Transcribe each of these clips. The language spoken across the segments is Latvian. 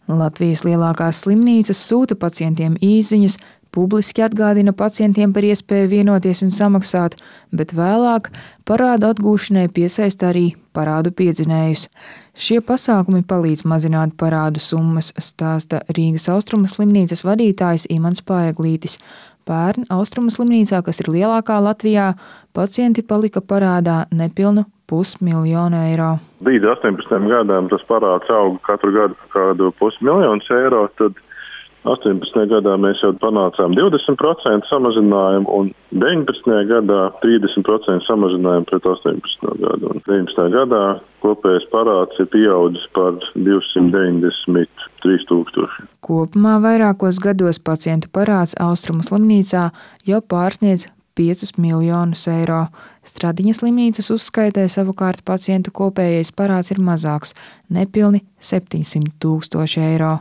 Latvijas lielākās slimnīcas sūta pacientiem īsziņas, publiski atgādina pacientiem par iespēju vienoties un samaksāt, bet vēlāk parādu atgūšanai piesaista arī parādu piedzinējus. Šie pasākumi palīdz mazināt parādu summas, stāsta Rīgas Austrumu slimnīcas vadītājs Imants Paeglītis. Pērn Austrumu slimnīcā, kas ir lielākā Latvijā, pacienti palika parādā nepilnu 500 000 eiro. Līdz 18 gadām tas parāds auga katru gadu kādu 500 000 eiro, tad 18. gadā mēs jau panācām 20% samazinājumu un 19. gadā 30% samazinājumu pret 18. gadu. Un 19. gadā kopējais parāds ir pieaudzis par 293 000. Kopumā vairākos gados pacientu parāds Austrumu slimnīcā jau pārsniedz 5 miljonus eiro. Stradiņas slimnīcas uzskaitē savukārt pacientu kopējais parāds ir mazāks – nepilni 700 000 eiro.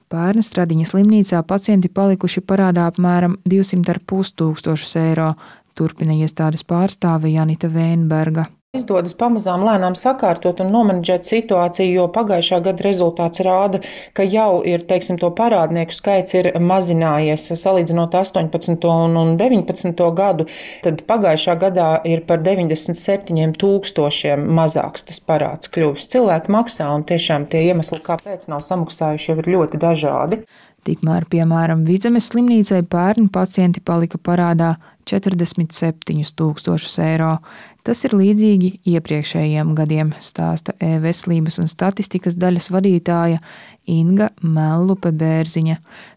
Pērn Stradiņas slimnīcā pacienti palikuši parādā apmēram 200 500 eiro, turpina iestādes pārstāve Janita Vēnberga. Izdodas pamazām lēnām sakārtot un nomenedžēt situāciju, jo pagājušā gada rezultāts rāda, ka jau ir, to parādnieku skaits ir mazinājies salīdzinot 18. un 19. gadu, tad pagājušā gadā ir par 97 000 mazāks tas parāds kļuvis. Cilvēki maksā un tiešām tie iemesli, kāpēc nav samaksājuši, jau ir ļoti dažādi. Tikmēr, piemēram, Vidzemes slimnīcai pērn pacienti palika parādā 47 000 eiro. Tas ir līdzīgi iepriekšējiem gadiem, stāsta e-veselības un statistikas daļas vadītāja Inga Mellupe-Bērziņa.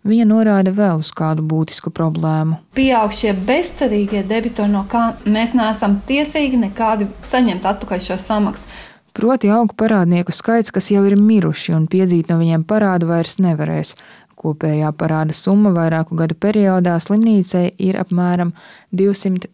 Viņa norāda vēl uz kādu būtisku problēmu. Pieaug šie bezcerīgie debitori, no kā mēs neesam tiesīgi nekādi saņemt atpakaļ šo samaksu. Proti aug parādnieku skaits, kas jau ir miruši un piedzīt no viņiem parādu vairs nevarēs. Kopējā parāda summa vairāku gadu periodā slimnīcai ir apmēram 210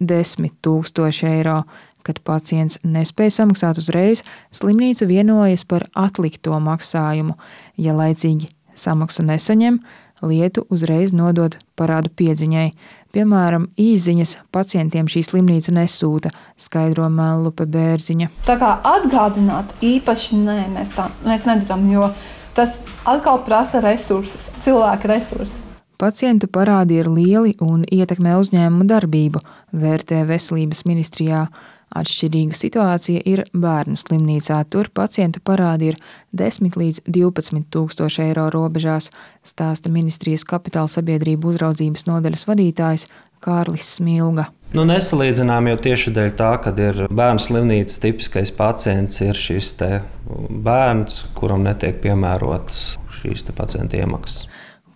000 eiro. Kad pacients nespēja samaksāt uzreiz, slimnīca vienojas par atlikto maksājumu. Ja laicīgi samaksu nesaņem, lietu uzreiz nodod parādu piedziņai. Piemēram, īsziņas pacientiem šī slimnīca nesūta, skaidro Mellupe-Bērziņa. Tā kā atgādināt īpaši mēs nedarām, jo tas atkal prasa resursus, cilvēku resursus. Pacientu parādi ir lieli un ietekmē uzņēmumu darbību, vērtē Veselības ministrijā. Atšķirīga situācija ir bērnu slimnīcā. Tur pacientu parādi ir 10 līdz 12 000 eiro robežās, stāsta ministrijas kapitāla sabiedrību uzraudzības nodaļas vadītājs Kārlis Smilga. Nesalīdzinām jau tieši dēļ tā, kad ir bērnu slimnīcas tipiskais pacients ir šis te bērns, kuram netiek piemērotas šīs te pacienta iemaksas.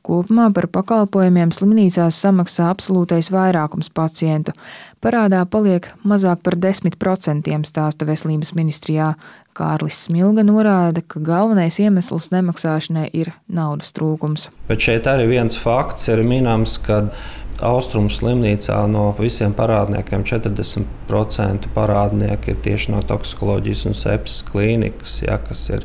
Kopumā par pakalpojumiem slimnīcās samaksā absolūtais vairākums pacientu. Parādā paliek mazāk par 10%, stāsta Veselības ministrijā. Kārlis Smilga norāda, ka galvenais iemesls nemaksāšanai ir naudas trūkums. Bet šeit arī viens fakts ir minams, ka Austrumu slimnīcā no visiem parādniekiem 40% parādnieki ir tieši no toksikoloģijas un sepses klīnikas, kas ir,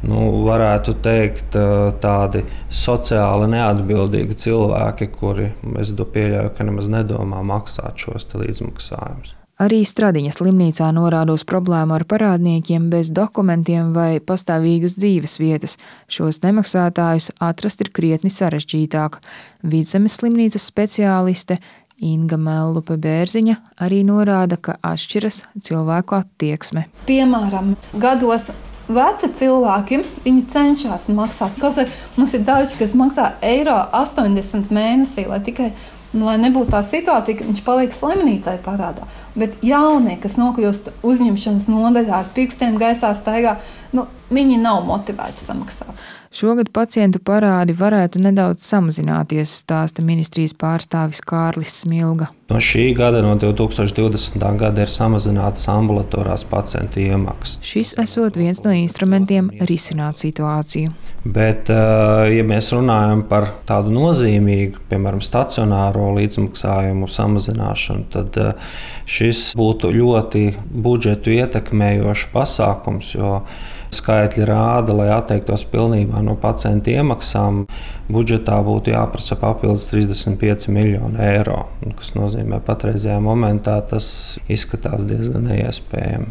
varētu teikt, tādi sociāli neatbildīgi cilvēki, kuri, es pieļauju, ka nemaz nedomā maksāt šos līdzmaksājumus. Arī Stradiņas slimnīcā norāda uz problēmu ar parādniekiem bez dokumentiem vai pastāvīgas dzīves vietas. Šos nemaksātājus atrast ir krietni sarežģītāk. Vidzemes slimnīcas speciāliste Inga Mellupe-Bērziņa arī norāda, ka atšķiras cilvēku attieksme. Piemēram, gados veci cilvēki, viņi cenšas maksāt. Kaut vai mums ir daudz, kas maksā €80 mēnesī, lai nebūtu tā situācija, ka viņš paliek slimnīcai parādā. Bet jaunie, kas nokļūst uzņemšanas nodaļā ar pirkstiem gaisā staigā, viņi nav motivēti samaksāt. Šogad pacientu parādi varētu nedaudz samazināties, stāsta ministrijas pārstāvis Kārlis Smilga. No šī gada, no 2020. gada, ir samazinātas ambulatorās pacientu iemaksas. Šis esot viens no instrumentiem risināt situāciju. Bet, ja mēs runājam par tādu nozīmīgu, piemēram, stacionāro līdzmaksājumu samazināšanu, tad šis būtu ļoti budžetu ietekmējošs pasākums, jo skaitļi rāda, lai atteiktos pilnībā no pacientu iemaksām, budžetā būtu jāprasa papildus 35 miljoni eiro, kas nozīmē patreizajā momentā tas izskatās diezgan neiespējami.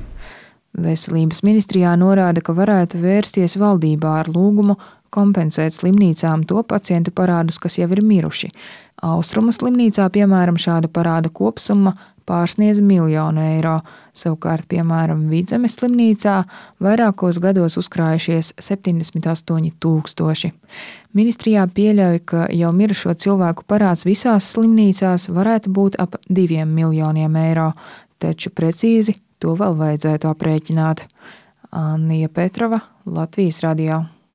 Veselības ministrijā norāda, ka varētu vērsties valdībā ar lūgumu kompensēt slimnīcām to pacientu parādus, kas jau ir miruši. Austrumu slimnīcā, piemēram, šāda parāda kopsumma pārsniedz 1 miljonu eiro. Savukārt, piemēram, Vidzemes slimnīcā vairākos gados uzkrājušies 78 000. Ministrijā pieļauj, ka jau mirušo cilvēku parāds visās slimnīcās varētu būt ap 2 miljoniem eiro, taču precīzi to vēl vajadzētu aprēķināt. Annija Petrova, Latvijas radio.